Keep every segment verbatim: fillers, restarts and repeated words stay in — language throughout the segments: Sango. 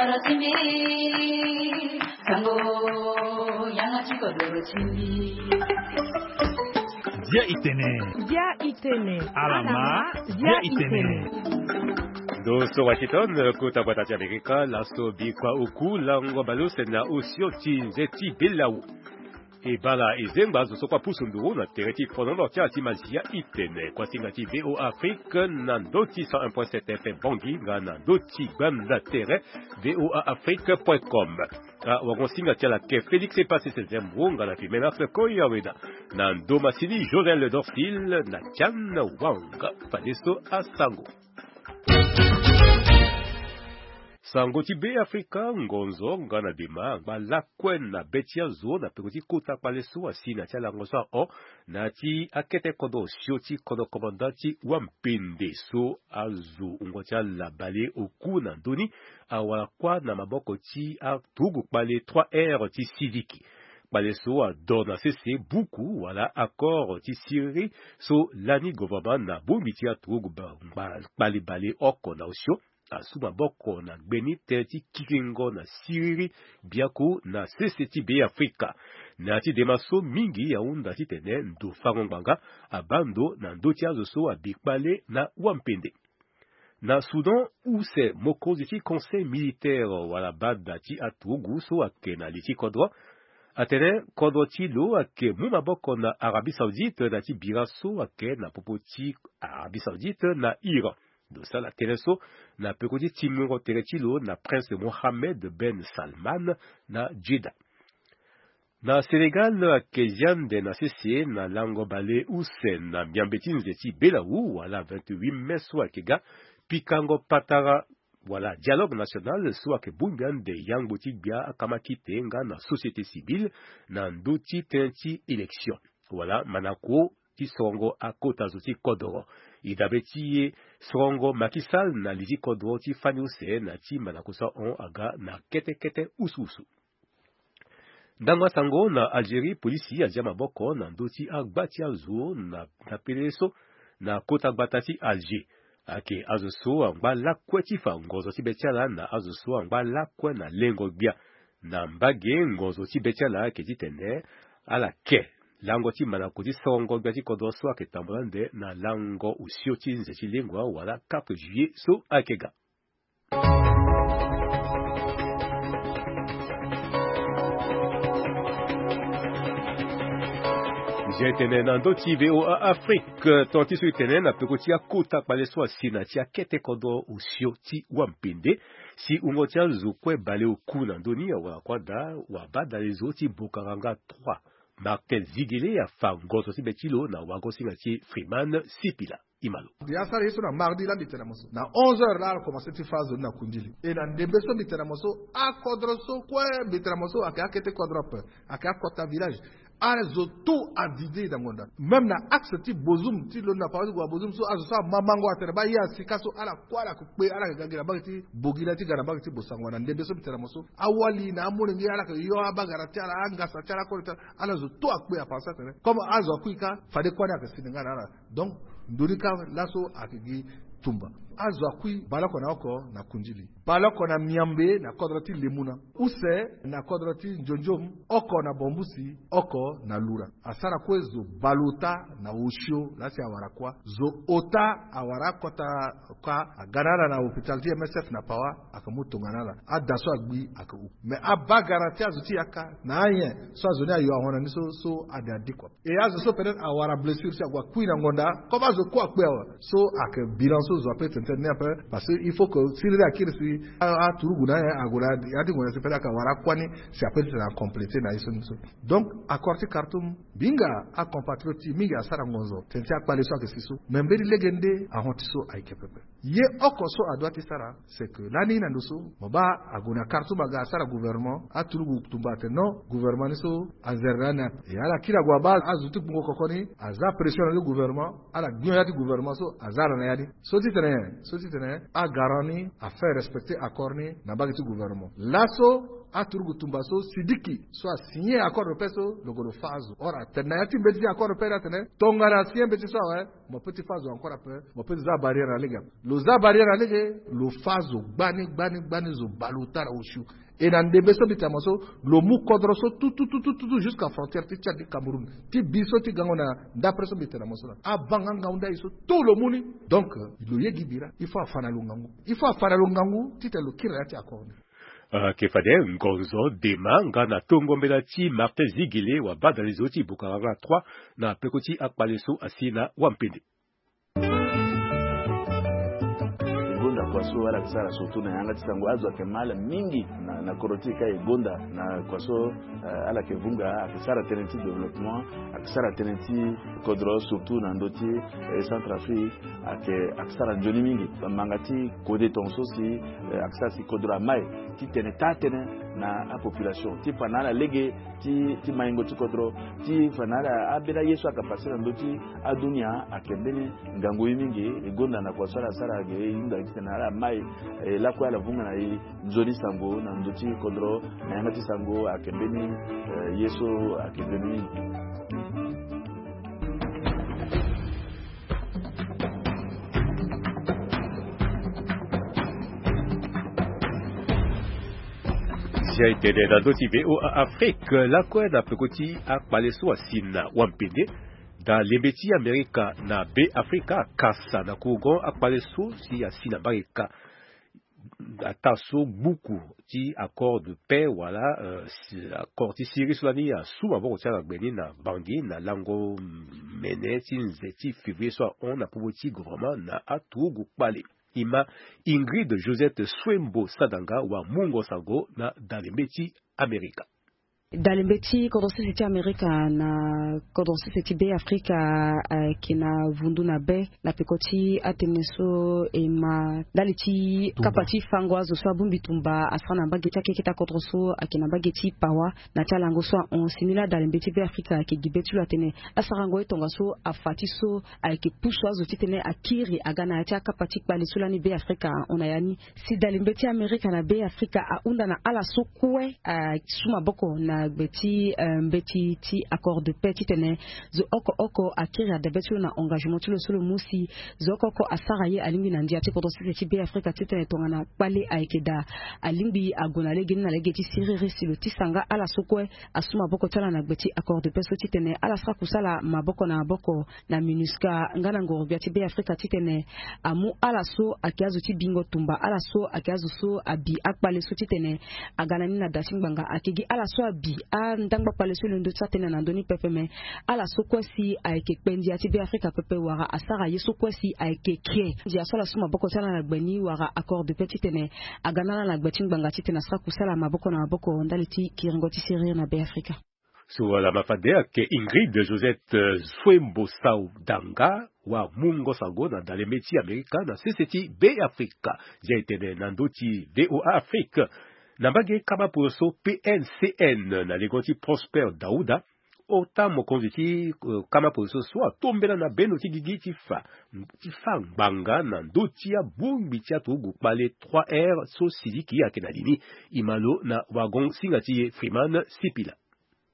Dia itene. Dia itene. Alama. Dia itene. Ndo so Washington, kota bata ti Amerika, laso bikua oku lango baleuse na osio ti nze ti belau. E bala e zengba zo so kua pusu nduru na tere ti fonono ti ala ti Mazia itene. Kuasinga ti V O A Afrique na ndo ti cent un point sept F M Bangui nga na ndo ti gbanda tere V O A Afrique point com. Awango-singa ti ala ke Félix Epassi Sezembo nga na Fimenas Koyaweda. Na ndo masini Josel Dorfil na Tian Wang. Fadeso asango. Sango ti Be Afrika, ngonzo nga na dema angba lakue na be ti azo na peko ti kota kpale so asi na ti alango so ahon na ya ti akete kodro osio ti kodro komanda ti wampende so azo wungo ti ala baleoku na ndö ni awara kuâ na maboko ti aturugu kpale trois R ti Siliki. Kpale so adon na sese buku wala accord ti siriri so lani gouvernement na bongbi ti aturugu ba- ngba- kpale baleoko na osio asu maboko na gbeni tënë ti kiringo na siriri biaku na sese ti Be Afrika. Na ya ti dema so mingi ahunda titene ndo fango ngbanga abaa ndo na ndö ti azo so abi kpale na wampende. Na Soudan, use mokonzi ti conseil militaire wala bada ti aturugu so ayeke na li ti kodro atene kodro ti lo ayeke mu maboko na Arabie Saoudite na ya ti bira so ayeke na popo ti Arabie Saoudite na Iran. Lo sara tënë so na peko ti tingbingo tere ti lo na Prince Mohammed Ben Salman na Jeddah. Na Sénégal, ayeke zia ande na sese na lango baleuse na miambe ti nze ti belau wala vingt-huit mai so ayeke ga, pikango patara wala dialogue national so ayeke bongbi ande yangbo ti gbia akamakite nga na société civile na ndö ti tënë ti élection wala manako ti sorongo akota zo ti kodoro. E dabe ti e, sorongo Macky Sall na li ti kodro ti fani use na ti manako so ahon aga na kete kete usu usu. Ndango asango na Algérie, polisi azia maboko na ndö ti agba ti azo na, na pele so na kota gbata ti Alger. Ayeke azo so angba lakue ti fa ngonzo ti be ti ala na azo so angba lakue na lengo gbia. Na mbage ngonzo ti be ti ala ayeke titene ala ke lango ti manako ti sorongo gbia ti kodro so ayeke tambula ande na lango osio ti nze ti lengua wala quatre juillet so ayeke ga. Nzia etene na ndö ti V O A Afrique, ton ti so etene na peko ti akota kpale so asi na ti akete kodro osio ti wampende. Si wungo ti azo kue baleoku na ndö ni awara kuâ daa, wabadale zo ti Bokaranga trois, Martin Zigele afa ngonzo ti be ti lo na wagosinga ti Freeman Sipila. Imalo. Mbi asara ye so na mardi laa mbi tene na mo so na onze heures laa ala komanse ti fâ azo ni na kundili. E na ndembe so mbi tene na mo so, akodro so kue mbi tene na mo so ayeke akete kodro ape, ayeke akota village. Azo tout avide na ngonda. Même na axe ti Bozoum ti lo na papa ti gue na Bozoum so azo so amamango atene baa ye asika so ala kue ala yeke kpe ala yeke ga gi na mbage ti Bogila ti ga na mbage ti Bosango na ndembe so mbi tene na mo so. Awali na amolenge ala yeke yo abagara ti ala, angasa ti ala, akode ti ala, ala zo tout akpe apensa atene comme azo akui kâ fade kuâ ni ayeke sini nga na ala. Donc ndoni kâ laso ayeke gi tumba. Azo akui baleoko na oko na Kundili, baleoko na Miambe na kodro ti Lemuna, use na kodro ti Njonjom, oko na Bombusi, oko na Lura. Asara kue zo baleota na osio laa si awara kuâ. Zo ota awara akota kuâ, aga na ala na hôpital ti M S F na Pawa, ayeke mu tongana ala. Ada so agbi ayeke hu. Mais abagara ti azo ti yaka na anyen so azo ni ayo ahon na ni so, so ade adi kua. E azo so peut-être awara blessure si ague akui na ngonda, comme azo kue akpe awe. So ayeke bilan so zo ape tene tënë ni ape, parce que il faut que siriri akiri si a, aturugu na anyen ague na ya ti ngonda si peut-être ayeke awara akuâ ni si ape ti tene acomplété na ye so ni so. Donc accord ti Khartoum, mbi hinga acompatriote ti e mingi asara ngonzo tene ti akpale so ayeke si so. Mais mbeni lege nde ahon ti so ayeke pepe. Ye oko so adoit ti sara, c'est que lani na ndo so mo baa ague na Khartoum aga asara gouvernement, aturugu tumba atene non, gouvernement ni so anzere na ni ape. E ala kiri ague abaa azo ti gbungo koko ni aza pression na ndo ti gouvernement, ala gbi on ya ti gouvernement so aza ala na ya ni. So ti tene, so ti tene agarant ni afaire respecter accord ni na mbage ti gouvernement. Laso aturugu tumba so Sidiki so asigné accord de paix so lo gue lo fâ azo. Or atene na ya ti mbeti ti accord de paix ni atene tongana asigné mbeti so awe, mo peut ti fâ azo encore ape, mo peut ti za barrière na lege ape. Lo za barrière na lege, lo fâ zo gbani gbani gbani, zo bale ota na osio. E na ndembe so mbi tene na mo so, lo mu kodro so tout tout tout tout tout jusqu'à frontière ti Tchad ti Cameroun, ti bi so ti gango na ndapre so mbi tene na mo so na. Avanga ngangu ndali so tout lo mu ni. Donc lo ye gi bira, il faut afa na lo ngangu. Il faut afa na lo ngangu titene lo kiri na ya ti accord ni. Ayeke fade ngonzo dema nga na tongo mbela ti Martin Zigele wa badalezo ti Bukaranga trois na peko ti akpale so asi na wampende. E gonda kua so ala yeke sara surtout na yanga ti sango, azo ayeke mal mingi na, na kodro ti e ka e gonda na kua so, eh, ala yeke vunga, ayeke sara tënë ti développement, ayeke sara tënë ti kodro surtout na ndö ti, eh, Centrafrique, ayeke, ayeke sara nzoni mingi. Manga ti kode tongaso si, eh, ayeke sara si kodro amai titene taa tënë na apopulation ti fa na ala lege ti, ti maingo ti kodro, ti fa na ala ambeni aye so ayeke pase na ndö ti adunia ayeke mbeni ngangu ye mingi. E gonda na kua so ala sara ge e hunda titene ala mai, eh, lakue ala vunga na e nzoni sango na ndö ti kodro na yanga ti sango ayeke mbeni, eh, ye so ayeke nzoni mingi. Si aye tene na ndö ti V O A Afrique lakue na peko ti akpale so asi na wampende. Da lembe ti Amerika na Be Afrika akasa na kourgon akpale so si asi na mbarika. Ataa so gbuku ti accord de paix wala, euh, si-, accord ti Syrie so lani asu maboko ti ala na gbe ni na Bangui na lango mene ti nze ti février so ahon na popo ti gouvernement na aturugu kpale. E ma Ingrid Josette Swembo Sadanga wa mungo sango na dalembe ti Amerika. Dalembe ti kodro sese ti Amerika na kodro sese ti Be Afrika, eh, ayeke na vundu na be na peko ti atënë so e ma ndali ti kapa ti fango azo so abongbi tumba asara na mbage ti akeketa kodro so ayeke na mbage ti Pawa na ti alango so ahon. Si ni laa dalembe ti Be Afrika ayeke gi be ti lo atene asarango ye tongaso afa ti so ayeke pusu azo titene akiri aga na ya ti akapa ti kpale so lani Be Afrika ahon na ya ni. Si dalembe ti Amerika na Be Afrika ahunda na ala so kue asu maboko na gbe ti, eh, mbeti ti accord de paix titene zo oko oko akiri adebe ti lo na engagement ti lo so lo mu si zo oko oko asara ye alingbi na ndia ti kodro sese ti Be Afrika titene tongana kpale ayeke daa alingbi ague na lege ni na lege ti siriri si lo tisa nga ala so kue asu maboko ti ala na gbe ti accord de paix so titene ala sara kusala maboko na maboko na MINUSCA nga na ngoro-gbia ti Be Afrika titene amu ala so ayeke azo ti bingo tumba, ala so ayeke azo so abi akpale so titene aga na ni na da ti ngbanga. Ayeke gi ala so abi andangba kpale so e londo ti sara tënë na ndö ni pepe, me ala so kue si ayeke kpe ndia ti Be Afrika pepe wala asara ye so kue si ayeke kre ndia so ala su maboko ti ala na gbe ni wala accord de paix titene aga na ala na gbe ti ngbanga titene asara kusala maboko na maboko ndali ti kiringo ti siriri na Be Afrika. So ala ma fade ayeke Ingrid Josette, eh, Swembo Sadanga wa mungo sango na dalembe ti Amerika na sese ti Be Afrika. Zia e tene na ndö ti V O A Afrique. Na mbage kama poroso P N C N na lengo ti Prosper Dauda, ota mokonzi ti, eh, kama poroso so atombela na bendo ti gigi ti fa, ti fa ngbanga na ndö ti abongbi ti aturugu kpale trois R so Sidiki ayeke na li ni. E ma lo na wagon-singa ti e Freeman Sipila.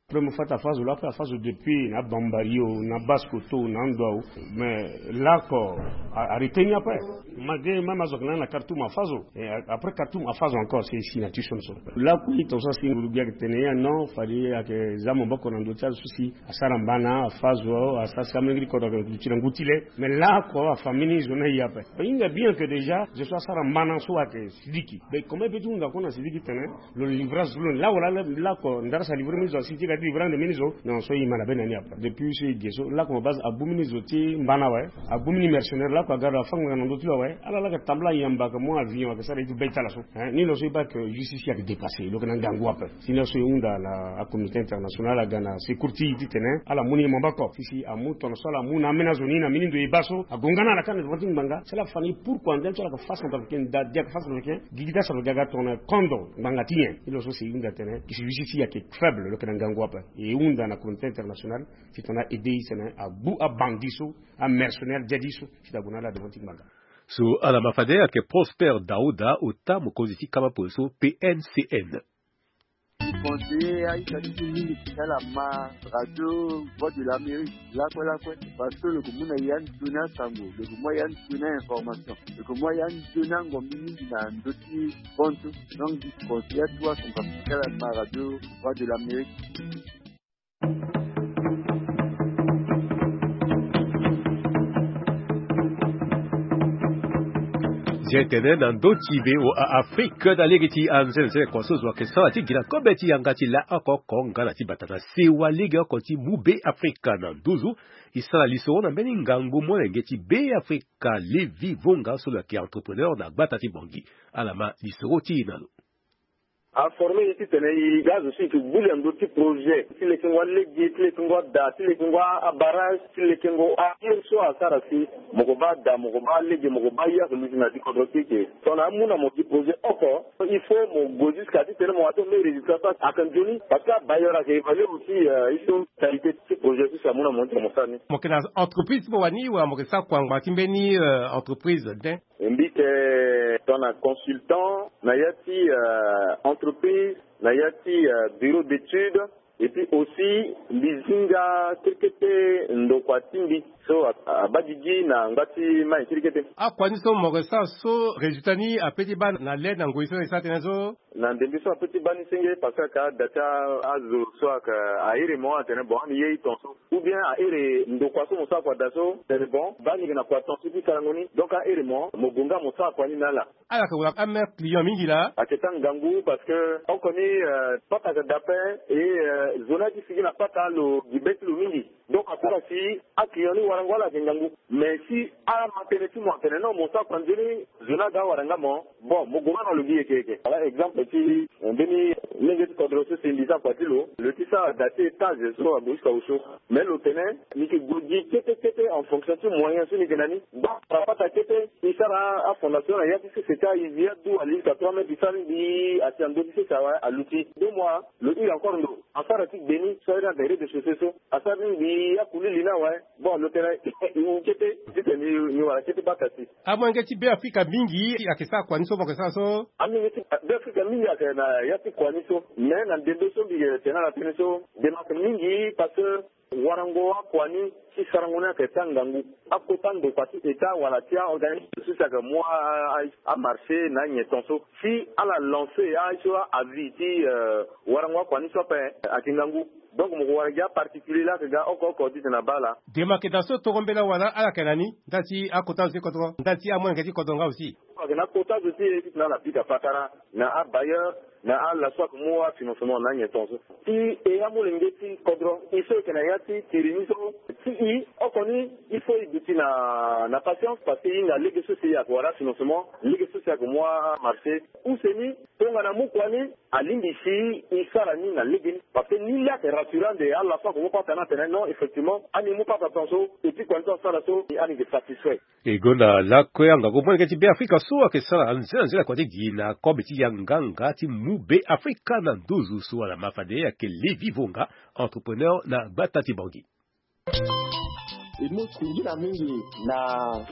Premier fois ti afa zo lakue, afa zo depuis na Bambari o, na Basse-Kotto o, na ando awe. Mais lakue a, a retenir ape. Malgré même azo ayeke na ni na Khartoum afa zo. Et a-, après Khartoum afa zo encore, c'est ici na ti so ni so. Lakue tongaso asi nguru-gbia ayeke tene ya non, fade ayeke za maboko na ndö ti azo so si asara mbana, afa zo, asara si amolenge ti kodro ayeke duti na ngu ti le. Mais lakue afa mbeni zo ni aye ape. Ahinga bien que déjà zo so asara mbana so ayeke Sidiki. Mais comment e peut ti hunda kue na Sidiki tene lo livrer azo so lo ni? Lakue laa lakue ndara si alivrer mbeni zo, asi ti ga ti livrer ande mbeni zo. Non, so e ma na be na ni ape. Depuis so e ge so lakue mo base abu mbeni zo ti mbana awe, abu mbeni mercenaire lakue aga lo afa ngbanga na ndö ti lo awe. Ala laa ayeke tambula ayamba ayeke mu avion ayeke sara ye ti be ti ala so. Hein, ni lo so e baa que justice ayeke dépasser, lo yeke na ngangu ape. Si ni laso e hunda na acommunauté internationale aga na secours ti e titene ala mu ni maboko. Si si amu tongaso ala mu na ambeni azo ni na mbeni ndo e baa so agonga na ala kâ na devant ti ngbanga. Si ala fa ni pourquoi ndia ti ala ayeke fa centrafricain, nda dia ayeke fa centrafricain, gigi ti acentrafricain aga tongana kondo ngbanga ti nyen? Ni lo so si e hunda tene si justice ti e ayeke faible, lo yeke na ngangu ape. E hunda na communauté internationale si tongana aider e tene agbu abandi so, amercenaire dia di so, si ta gue na ala devant ti ngbanga. So ala ma fade ayeke Prosper Dauda, ota mokonzi ti kama polo so P N C N. Conseiller aita ti mingi ti ala ma radio Voix de l'Amérique lakue lakue, parce que lo yeke mu na ya ni tuni asango, lo yeke mu ya ni tuni ainformation, lo yeke mu ya ni tuni angombi mingi na ndö ti bantu. Donc conseiller atu asango ti ala ma radio Voix de l'Amérique. Nze tene na ndö ti V O A Afrique na lege ti anzenze kua so zo ayeke sara ti gi na kobe ti yanga ti la oko oko nga na ti bata na sewa lege oko ti mu Be Afrika na nduzu. E sara lisoro na mbeni ngangu molenge ti Be Afrika, Levi Vonga so lo yeke entrepreneur na gbata ti Bangui. Ala ma lisoro ti e na lo. Aforme ye titene e ga azo so e yeke gbu li na ndö ti projet ti lekengo alege, ti lekengo ada, ti lekengo abarrage, ti lekengo aye so asara si mo ko baa ada, mo ko baa lege, mo ko baa ye ake luti na ya ti kodro ti e ke. Tongana amu na mo gi projet oko, il faut mo gue jusqu'à titene mo wara ti mo mbeni résultat so ake nzoni. Parce que abailleur ake évaluer aussi, euh, ye so qualité ti projet so si amu na mo titene mo sara ni. Mo yeke na entreprise ti mo wani wala mo yeke sara kua ngbanga ti mbeni, euh, entreprise de? Mbi yeke tongana consultant na ya ti, euh, entreprise, na ya ti, euh, bureau d'étude, et puis aussi mbi zi nga kete kete ndokua ti mbi so a- abaa gigi na ngba ti mai kete kete. Akua ni so mo yeke sara so résultat ni ape ti baa na le na ngoi so e sara tënë so? Na ndembe so ape ti baa ni senge parce que aka da ti azo so aka ahere mo atene bon ani ye e ton so. Ou bien ahere ndokua so mo sara kua daa so tene bon baa ni yeke na kua ton so ti sarango ni. Donc ahere mo, mo gue nga mo sara kua ni na ala. Ala yeke wara ameilleur client mingi laa. Ayeke taa ngangu parce que oko ni, euh, pata ayeke daa ape. Et, euh, zo ni aye ti sigi na pata lo gi be ti lo mingi. Donc asara si aclient ni warango ala ayeke ngangu. Mais si ama tënë ti mo atene non mo sara kua nzoni, zo ni aga awara nga mo. Bon mo gue nga na lo gi yeke yeke. Wala exemple ti, eh, mbeni lege ti kodro so si mbi sara kua ti lo, lo ti sara da ti étage so ague jusqu'à au chaud. Mais lo tene ni yeke gue gi kete kete en fonction ti moyen so ni yeke na ni. Baa apata kete e sara afondation na ya ti sese ka e zi adu ali jusqu'à trois mètres e sara ni mbi asi na ndö ti sese awe aluti. Deux mois lo hiri encore ndo asara ti gbe ni so aye ni atene rez-de-chaussée so asara ni mbi akuli li ni awe. Bon lo tene e wu kete titene ni wara kete bata si. Amolenge ti Be Afrika mingi ayeke sara kua ni so mo yeke sara so? Amolenge ti Be Afrika mingi ayeke na ya ti kua ni so. Mais na ndembe so mbi yeke tene ala tënë so, ndembe ayeke mingi parce que warango akua ni ti sarango ni ayeke taa ngangu. Akota ndokua ti état wala ti aorganisme so si ayeke mu a- a- amarché na anyen ton so si ala lance aye so a- avis ti, euh, warango akua ni so ape ayeke ngangu. Donc mo ko wara gi aparticulier laa ayeke ga oko oko titene abaa ala. Dema ayeke daa so toro mbela wala ala yeke na ni ndali ti akota zo ti kodro ndali ti amolenge ti kodro nga aussi? Ayeke na akota zo ti e titene ala bika patara na abailleur na ala so ayeke mu afinancement na anyen ton so. Si e amolenge ti kodro e so e yeke na ya ti tiri ni so ti e oko ni il faut e duti na na patience parce que e hinga lege so si e ayeke wara afinancement lege so si e ayeke mu amarché. Use ni tongana amu kua ni alingbi si e sara ni na lege ni. Parce que ni laa ayeke rassurant nde ala so ayeke mu pata ni atene non effectivement ani mu pata ton so e ti kua ni so asara so ani yeke satisfait. E gonda lakue angangu molenge ti Be Afrika so ayeke sara nzela nzela kua ti gi na kobe ti yanga nga ti mu Be Afrika na nduzu so ala ma fade ayeke Levi Vonga, entrepreneur na gbata ti Bangui. E mu singila mingi na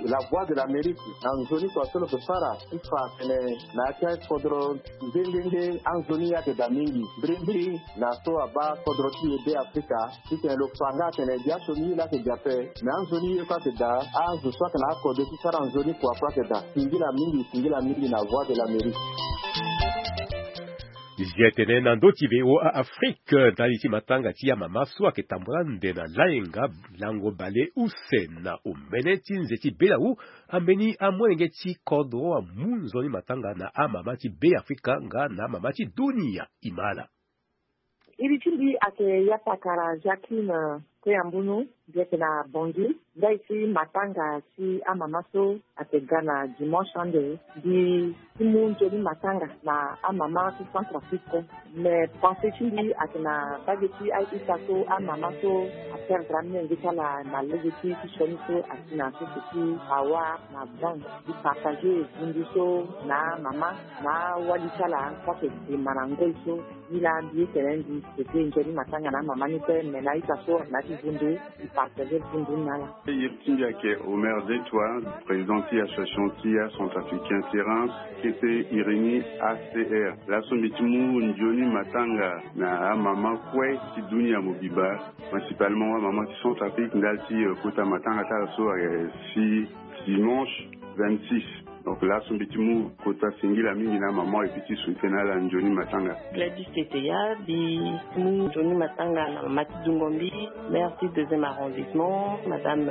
La Voix de l'Amérique na nzoni kua so lo yeke sara ti fa atene na ya ti akodro nde nde nde anzoni ayeke daa mingi mbirimbiri na so abaa kodro ti e Be Afrika. Titene lo fa nga atene biaso ni laa ayeke daa ape. Me anzoni ye kue ayeke daa. Azo so ayeke na akode ti sara nzoni kua kue ayeke daa. Singila mingi singila mingi na Voix de l'Amérique. Zia tene na ndö ti V O A Afrique ndali ti matanga ti amama so ayeke tambula nde na layenga lango bale use na omene ti nze ti Belau. Ambeni amolenge ti kodro amu nzoni matanga na amama ti Be Afrika nga na amama ti dunia. Imala. Iri ti mbi ayeke Yapakara Jacqueline Koyambunu. Mbi yeke na Bangui. Ndali ti matanga ti amama so ayeke ga na dimanche ande, mbi ti mu nzoni matanga na amama ti Centrafrique. Me pensée ti mbi ayeke na mbage ti a-ita so amama so aperdre amolenge ti ala na lege ti ti sioni so asi na sese ti Hawa na Van. Mbi partage vundu so na amama na awali ti ala so ayeke dema na ngoi so. Ni laa mbi ye tene mbi yeke nzoni matanga na amama ni kue, me na a-ita so na ya ti vundu. partager bundu na ala. Iri ti mbi ayeke Omer Detwa, président ti association ti acentrafricain ti Reims, kete iri ni A C R. Laso mbi ti mu nzoni matanga na amama kue ti dunia mobimba, principalement amama ti Centrafrique ndali ti kota matanga ti ala so ayeke si dimanche vingt-six. Donc laso mbi ti mu kota singila mingi na amama et puis ti souhaiter na ala nzoni matanga. Gladys Teteya, mbi mu nzoni matanga na mama ti dungo mbi, maire ti deuxième arrondissement, madame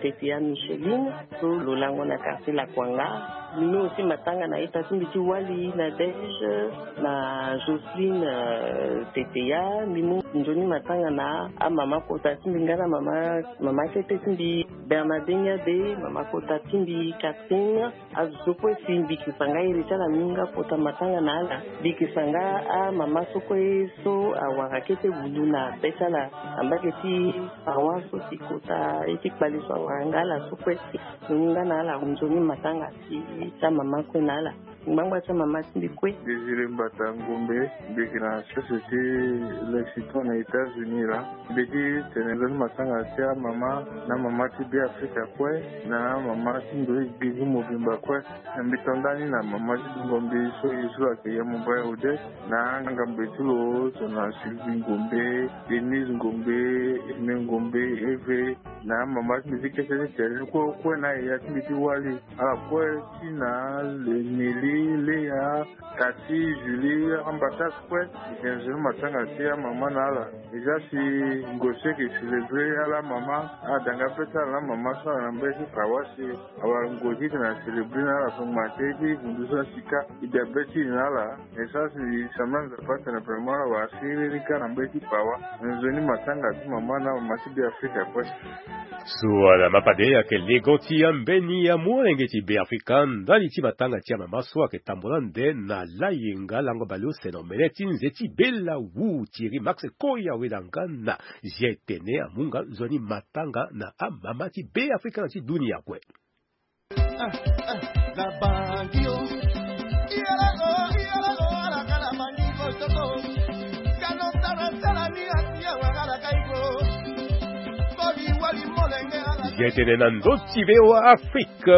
Teteya Micheline, so lo lango na quartier Lakwanga. Mbi mu aussi matanga na ita ti mbi ti wali Nadège na Jocelyne Teteya. Mbi mu nzoni matanga na amama kota ti mbi nga na mama mama kete ti mbi Bernadette Nyade, mama kota ti mbi Catherine. Azo so kue si mbi yeke sanga iri ti ala mingi nga kota matanga na ala. Mbi yeke sanga amama so kue so awara kete wundu na be ti ala na mbage ti paroisse so si kota ye ti kpale so awara nga ala so kue. Mbi mu nga na ala nzoni matanga ti amama kue na ala. Ngbangba ti amama ti mbi kue. Désiré Mbata Ngombe, mbi yeke na société Lexicon na États-Unis laa. Mbi ti tene nzoni matanga ti amama na amama ti Beafrika kue na amama ti ndoye gbingu mobimba kue. Mbi to ndani na mama ti dungo mbi so ye so lo ayeke Yamobaya Odette, na angambe ti lo so na Sylvie Ngombe, Denise Ngombe, Aimé Ngombe, Eve, na amama ti mbi ti kete ti tere ni kue kue na yaya ti mbi ti wali. Ala kue ti na Neli, Léa, Cathy, Julie, ambassade kue. Mbi tene nzoni matanga ti amama na ala. Eza si ngo so ayeke célébrer ala mama, ala danga be ti ala na amama so ala na mbage ti paroisse. Awara ngo ti tene acélébrer na ala so ngba te ti vundu so asika. E bia be ti e na ala. Mais ça si sambela Nzapa atene vraiment ala wara siriri kâ na mbage ti paroisse. Nzoni matanga ti mama na mama ti Beafrika kue. So ala ma pade ayeke legon ti ambeni amolenge ti Beafrika ndali ti matanga ti amama so ayeke tambula nde na layenga lango baleuse na omene ti nze ti bela wu Thierry Max Koya wela nga na zi etene amu nga nzoni matanga na amama ti Beafrika na ti dunia kue. Ye tene na ndö ti V O A Afrique,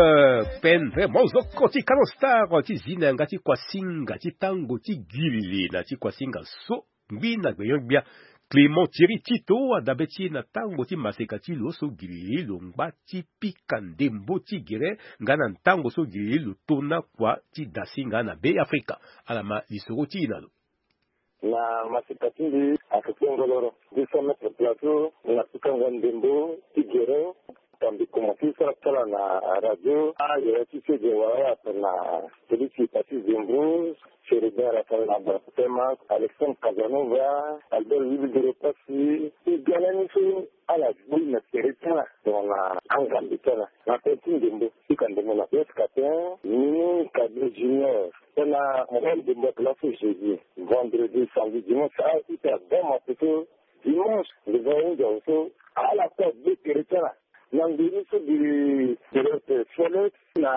pendre mozoko ti Canon Star ti zi na yanga ti kuasinga ti tango ti girili na ti kuasinga so. Ngbi na gbenyo-gbia, Clément Thierry Tito adabe ti e na tango ti maseka ti lo so girili lo ngba ti pika ndembo ti gere nga na tango so girili lo tona kua ti dasinga na Beafrika. Ala ma lisoro ti e na lo. Na maseka ti mbi ayeke kpengoloro deux cents mètres plateau na pikango ndembo ti gere. Tambi komanse sara ti ala na radio. Ayaya ti sege wala ala tongana Félix Epati Zembro, Chérubin Raphaël Abba Temas, Alexandre Casanova, Albert Willy Doro Passy. E ga lani so ala gbu na tere ti ala tongana angambe ti ala na tënë ti ndembo. Pika ndembo na Blaise Capin, Mimi Kade Junior. Tongana mo baa ndembo ayeke laso jeudi, vendredi, samedi, dimanche, a-ita baa mapeto. Dimanche nze va ahunda so ala kue agbe tere ti ala na ndoni so gi tere ti Solex na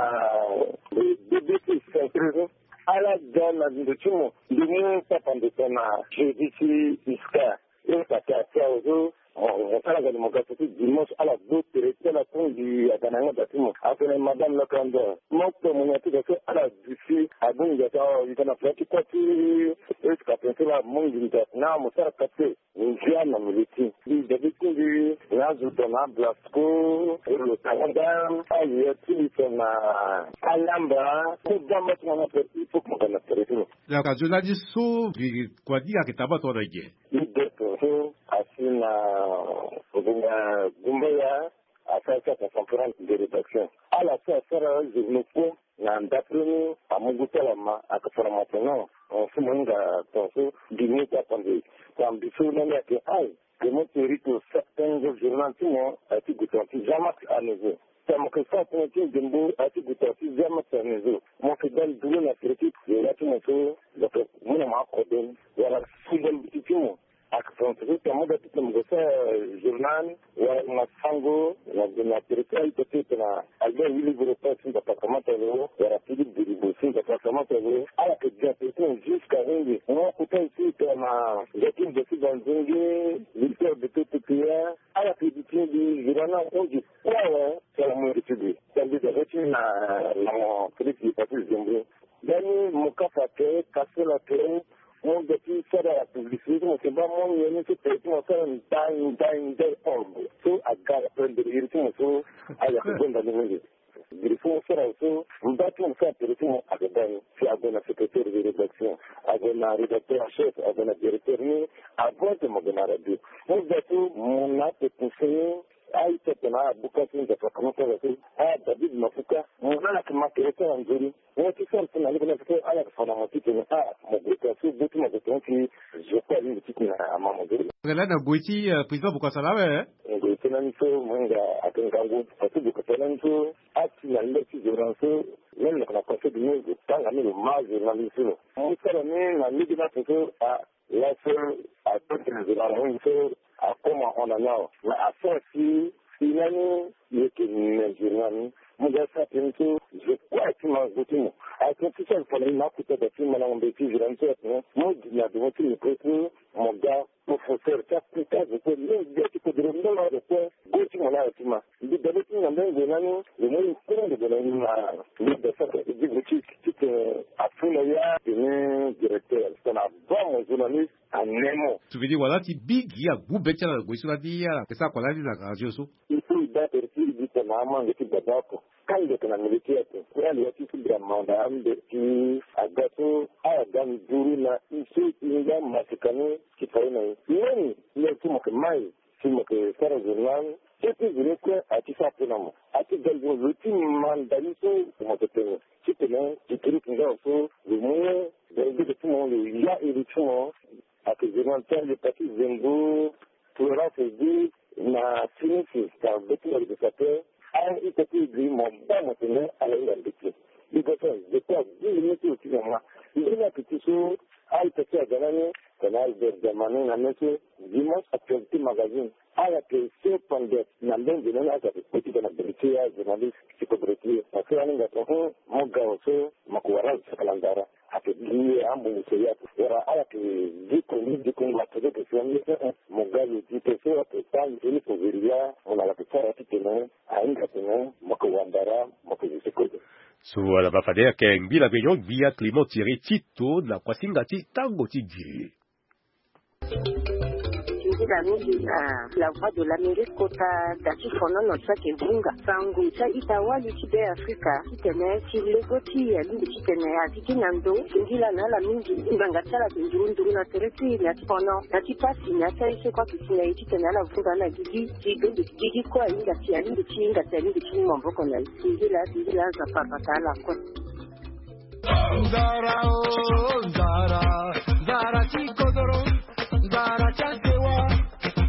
B B T centre so. Ala ga na ndo ti mo, ndo mu papa ndo tongana jeudi ti Easter. E papa ti awe so mo sara ga ni mo ga so ti dimanche ala gbe tere ti ala kue. Mbi aga na yanga da ti mo atene madame Lakanda, mo kue mo ni ati ga so ala duti abongbi ata awe. Ita na fula ti kua ti Easter ti la mo nginda na mo sara kate. Ndia na mili ti mbi dabe ti mbi na azo tongana Blasco, lo tanga da aye ti mbi tongana Alamba. Kue dama ti mo na tere ti fo kua na tere ti mo. Laka zo na di so mbi kua di ayeke taba tongana ge. Mbi de tongaso asi na ngonga gumbaya. Asara ti aconférence de rédaction. Ala so asara journaux kue. Na ndapre ni amu gu ti ala ma ayeke fara ma tene non. Tongaso mo hinga tongaso gi ni ti akpande. Tambi so lani ayeke ai. Clément Thierry Tito sa tengo journal ti mo aye ti gue tonga ti Jean Max Anezo. Sa mo yeke sara tënë ti ndembo aye ti gue tonga ti Jean Max Anezo. Mo yeke dali duru na tere ti yanga ti mo so mo yeke mu na mo akode ni wala si ndembo ti ti mo. Ayeke tongaso ti amu ga ti tene mo gue sara journal wala na sango na tere ti a-ita ti e tongana Albert Willy Doro Passy ti mbi apakamata lo wala Philippe Delibaud ti mbi apakamata lo. Ala yeke bien tere ti mo jusqu'à henge. Mo kota aussi tongana nge ti nze ti banzenge, victoire de tout peuple, ala ti di ti mbi zira na hon du poids, ouais, c'est la moindre ti mbi. Sa mbi da ti na, na mo Félix Patrice Zembo. Dani mo kasa ke, kase la ke, mo da ti sara la publicité, mo ke ba mo nyen ni ti pe ti mo sara ndai, ndai, ndai, orgue. So aga la prendre iri ti mo so, aya ko gonda ni mingi. Biri so mo sara so, mba ti mo sara tere ti mo aga dani. Si ague na secrétaire de rédaction, ague na rédacteur en chef, ague na directeur ni, avant que mo gue na radio. Mo da so mo na pe conseiller, a-ita tena abuka so nzapa kama sara so, a David Mafuka, mo na ke ma tere sara nzoni. Mo ti sara so na lege na so ala ke fa na mo titene, a, mo gue ka so, gue ti mo gue tena ti zo kue alingbi titene ama mo gue. Nga la na gue ti, eh, président Bokassa la awe, eh? Gue ti lani so, mo hinga ake ngangu. Parce que gue ti lani so, a ti na le ti zo na so, même na, na conseil du monde, tanga ni lo ma zo na li so. Mo sara ni na lege na so, a, laso, a, tene zo na lo so, a, comment on a now. Mais a sara si, si lani, ye ke me zo na ni. Mo ga sara tene so, zo kue ti ma gue ti mo. A tene ti sara fana ni na kuta da ti ma na ngombe ti zo na ni so, a tene. Mo gi na do mo ti micro so, mo ga professeur ti akuta zo kue, même ge ti kodoro, même azo kue, gue ti mo na ayo ti ma. Mbi da be ti na mbeni gue lani, lo mo ye kue lo gue na ni na, mbi da sara gi gue ti, titene afu na ya tene directeur, titene aba mo journaliste, a ne mo. Tu veux dire, wala ti bi gi agbu be ti ala na gue so lani, ala ke sara kua lani na radio so. Il faut i da tere ti i di tena amange ti baba oko. Kande yeke na miliki ate. Kue ali ya ti ti bira manda ambe ti aga so, ala ga nduru na i so i nga masika ni ti fa ye na i. Leni, leni ti mo yeke mai, ti mo yeke sara journal, so ti zoni kue a ti sara pe na mo. A ti ga nduru lo ti manda ni so mo yeke tene. Titene, ti kiri ti nga so, lo mu, dere dege ti mo, lo ya iri ti mo. Ake journal ti ande pati zengo, Florence Edi na Sinisi, ka be ti mo leke sa pe, a ita ti e gri mo ba mo tene ala hinga mbeti. I ga so, je crois, dix minutes ti lo ti nyama. Nzoni ake ti so, a ita ti aga lani, tene Albert Diamani na me so, Dimanche Actualité Magazine. Ala yeke so pendant na mbeni nze ni ala yeke kpe ti ga na bere ti e, a journaliste ti kobere ti e. Parce que ala hinga tene, hum, mo ga wa so, mo yeke wara ala saka na ndara. Ake gi ambongo so ya wala ala yeke gi koni, gi koni ma tene ke so ni, eh, eh, mo ga lo di pe so ake ta nzoni koveri ya, mo na ala yeke sara titene ahinga tene mo yeke wandara, mo yeke zo ti kode. So ala ma fade ayeke ngbi la mignon, gbia Clément Thierry Tito na kuasinga ti tango ti giri. Nzila mingi na La Voix de l'Amérique kota da ti fonono ti ayeke hunga sango ti a-ita wali ti Beafrika titene ti lego ti e alingbi titene a gigi na ndo. Singila na ala mingi, ngbanga ti ala ayeke nduru nduru na tere ti e na ti fono, na ti pasi, na ti aye so kue ayeke si na e titene ala vunga na gigi ti bembe ti gigi kue ahinga si alingbi ti hinga si alingbi ti mu maboko na e. Singila, singila, Nzapa abata ala kue. Nzara o, nzara, nzara ti kodoro, nzara ti asewa,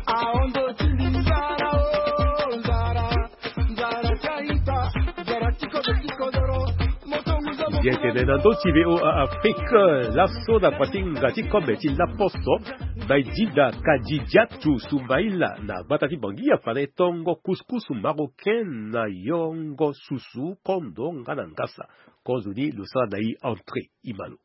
ahondo ti mbi, nzara o, nzara, nzara ti a-ita, nzara ti kodoro, ti kodoro, moto ngu zo. Bien tene na ndö ti V O A Afrique, laso na kuasinga ti kobe ti Laposo, Baidida Kadidiatu Soumaïla na gbata ti Bangui afa na e tongo couscous marocain na yongo susu, kondo nga na ngasa. Kozoni lo sara na e entrée, e ma lo.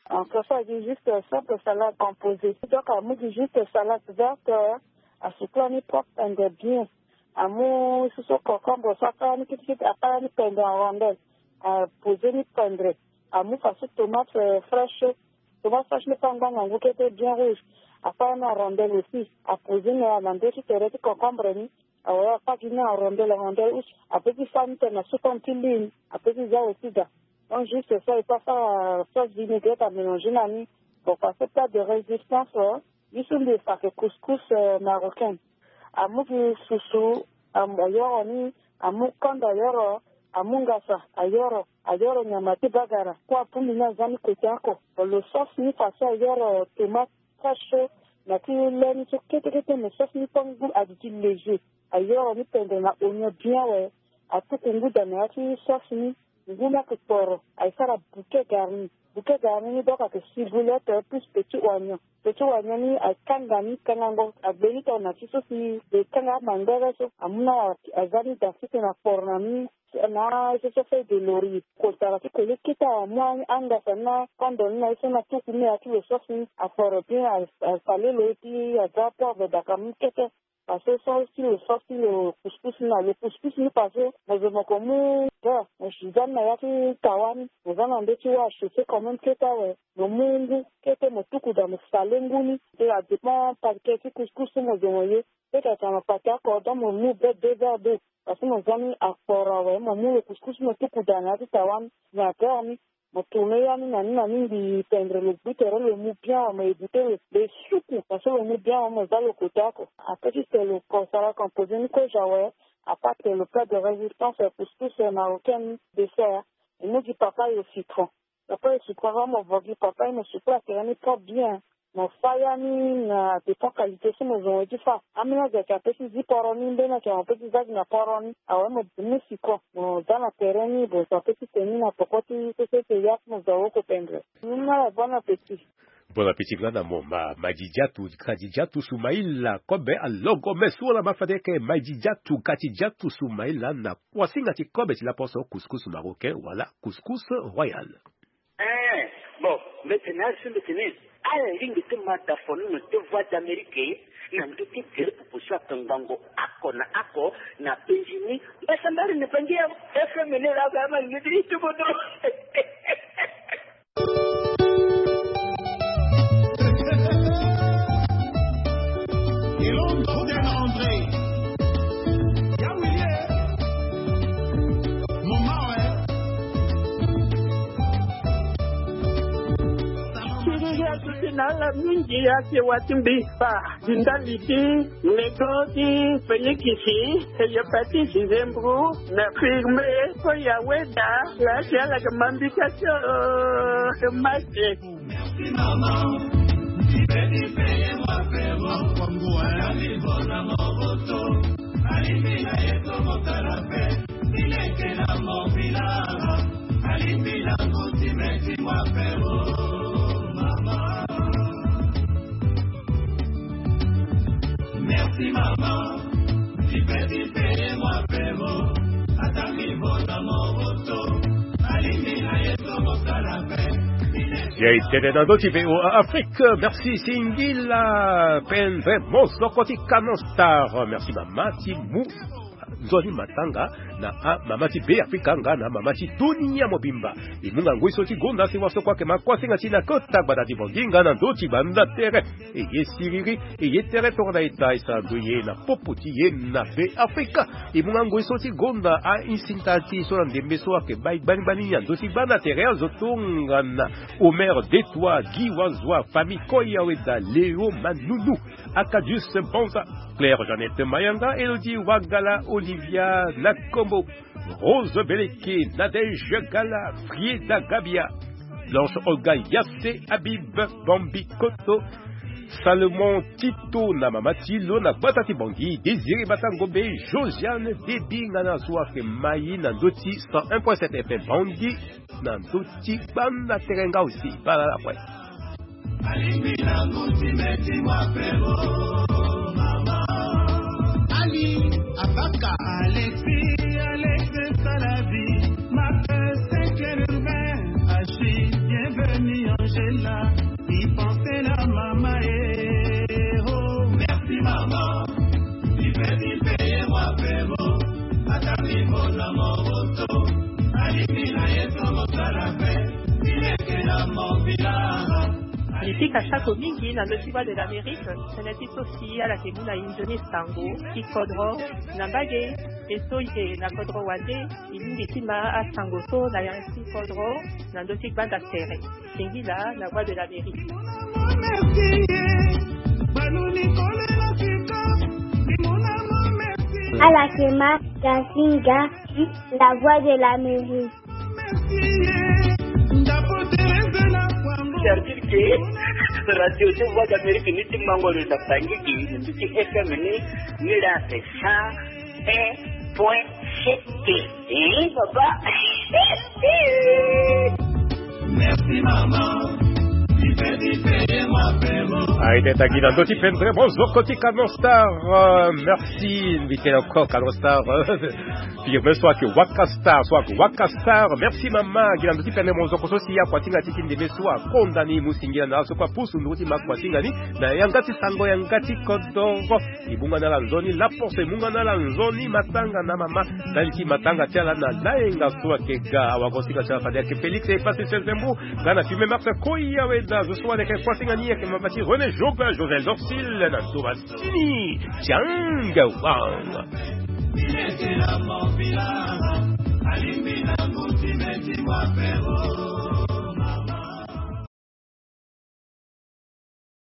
En fait, ça dit juste simple salade composée. Donc, amu gi juste salade verte, euh, asucla ni propre and bien. Amu susu concombre, so akara ni kitikiti, akara ni pendre en rondelle. Euh, poser ni pendre. Amu fasu tomate, euh, fraîche. Tomate fraîche ni pe angba ngangu kete bien rouge. Akara ni en rondelle aussi. Aposer ni na ndö ti tere ti concombre ni. Awe, akpa gi ni en rondelle, en rondelle use. Ape ti sara ni tene na sukon ti lune. Ape ti za aussi da. Donc, juste ça, il faut faire, euh, sauce vinaigrette à mélanger na ni. Bon, parce que plat de résistance, euh, ye so mbi fa ayeke couscous, euh, marocain. Amu gi susu, am-, ayoro ni, amu kanda ayoro, amu ngasa ayoro, ayoro nyama ti bagara. Kue abongbi ni aza ni kote oko. Bon, lo sauce ni faso ayoro tomate fraîche so, na ti le ni so kete kete, mais sauce ni pe ngu, adi ti léger. Ayoro ni pendre na oignon bien awe. Atuku nguda na ya ti sauce ni. ngu ni ayeke kporo, aye sara bouquet garni. Bouquet garni ni donc ayeke ciboulette plus petit oignon. Petit oignon ni akanga ni kangango, agbe ni tongana ti so si e kanga amangbere so, amu ni aza ni da sese na kporo na ni. Na ye so so feuille de laurier, kotara ti koli kete amu angasa ni na kondo ni na ye so na tuku ni na ya ti lo sauce ni, akporo bien, asale lo ye ti aza poivre daka mu kete. Parce que so si lo sauce ti lo couscous ni na lo couscous ni parce que mo zo mo ko mu beurre, mo si za ni na ya ti tawa ni, mo za na ndö ti wâ achauffé quand même kete awe. Mo mu ngu kete mo tuku da mo sale ngu ni. Te adépend paquet ti couscous so mo zo mo ye. Peut-être mo pati akordon mo mu be deux verres d'eau. Parce que mo za ni akporo awe, mo mu lo couscous mo tuku da na ya ti tawa ni, na beurre ni. Mo tourner ya ni na ni na ni mbi pendre lo gbu tere lo mu bien awe, mo éviter lo, lo suku parce que lo mu bien awe, mo za lo kota oko. Après ti tene lo ko sara composer ni kozo awe. Après tene lo plat de résistance, couscous marocain ni, dessert. E mu gi papa yo citron. Papa yo citron, avant mo vo gi papa yo, mo sukola tere ni propre bien. Mo fa ya ni na dépend qualité so mo zo mo ye ti fa. Ambeni azo ayeke apesi zi poro ni, mbeni ayeke apesi za gi na poro ni. Awe mo mu citron, mo za na tere ni, mo zo apesi tene ni na poko ti sese ti ya ti mo zo awe oko pendre. Ni na bon appétit. Bon appétit nga na mo ma, Madidjatu, Kadidjatu Soumaïla, kobe alogo me so wala ma fade ke Madidjatu, Kadidjatu Soumaïla na kuasinga ti kobe ti laposo couscous marocain wala couscous royal. Eh, bon, mbeti na ari so mbeti ni. Ala lingbi ti ma da fo ni na ti Voix d'Amérique na ndö ti gere pupu so ayeke ngangu oko na oko na penzi ni. Mbeti na ari na penzi ya F M ni la ba ma ni ti bodo. Siriri atuti na ala mingi, ake wa ti mbi fa. Ti ndali ti lego ti Félix, hépatite, nzemburu na firme, ko ya weda la ti ala ke mambika ti o mate. Merci maman, ti pe ti peye moi frérot. Akwangua ya mi bona moroto. Alimi na ye to motala pe. Ti leke na mobila. Alimi na nguti meti moi frérot. Maman. Merci maman. Ti pe ti peye moi frérot. Ata mi bona moroto. Alimi na ye to motala pe. Ya e tene na ndö ti V O A Afrique. Merci singila. Penze mosoko ti Canon Star. Merci mama ti mu nzoni matanga na amama ti Be Afrika nga na mama ti dunia mobimba. E mu nga ngoi so ti gonda si wasoko ayeke ma kuasinga ti na kota gbata ti Bangui nga na ndö ti gbanda tere. E ye siriri, e ye tere tongana e ta e sara ndo ye na popo ti ye na Be Afrika. E mu nga ngoi so ti gonda a-insinta ti e so na ndembe so ayeke bai gbani gbani na ndö ti gbanda tere azo tongana Omer Detois, Guy Wazwa, Fami Koya Weda, Léo Manunu, Acadius Banza, Claire Jeannette Mayanga, Elodie Wagala, Olivia Nakombo, Rose Beleke, Nadège Gala, Frieda Gabia, Blanche Olga Yasse, Habib Bambi Koto, Salomon Tito na mama ti lo na gbata ti Bangui, Désiré Batangombe, Josiane Debi nga na so ayeke mai na ndö ti cent un point sept F M Bangui. Na ndö ti gbanda tere nga aussi bala la kue. Alingbi na nguti meti moi frérot, mama. Ali Abaka. Alexis, Alex Salabi, Marc Sekelurbain, Achille, bienvenue Angela, il pensait la mama eh, oh. Merci mama. Ti pe ti peye moi frérot. Ata mi bona moroto. Alingbi na ye to mosala pe. Ti leke na mobila. Mbi pika sako mingi na ndö ti Voix de l'Amérique, tënë ti so si ala yeke mu na inzo ni sango ti kodro na mbage, e so e yeke na kodro wande, e lingbi ti ma asango so na ya ti kodro na ndö ti gbanda tere. Singila na Voix de l'Amérique. Ala yeke ma Gazinga, la Voix de l'Amérique. C'est-à-dire que radio ti Voix d'Amérique ni ti mango lo na Bangui, ni ti F M ni, ni la c'est cent un point sept. Eh, papa. Merci maman. Aye teta gi na ndö ti pendre mozoko ti Canon Star. Euh, merci. Mbi tene encore Canon Star. Firme so ayeke waka star, so ayeke waka star. Merci mama. Gi na ndö ti pendre mozoko so si akuasinga ti ti ndeme so akonda ni mu singila na ala so kue apusu nduru ti ma akuasinga ni na yanga ti sango yanga ti kodoro. E mu nga na ala nzoni laposo, e mu nga na ala nzoni matanga na mama. Ndali ti matanga ti ala na layenga so ayeke ga awagosinga ti ala fade ayeke Félix Epasese Zembu. Nga na filme Marc Koya Weda zo so wani ayeke kuasinga ni ayeke mama ti René Joga Josel Dorsil na ndo masini. Tianga wang.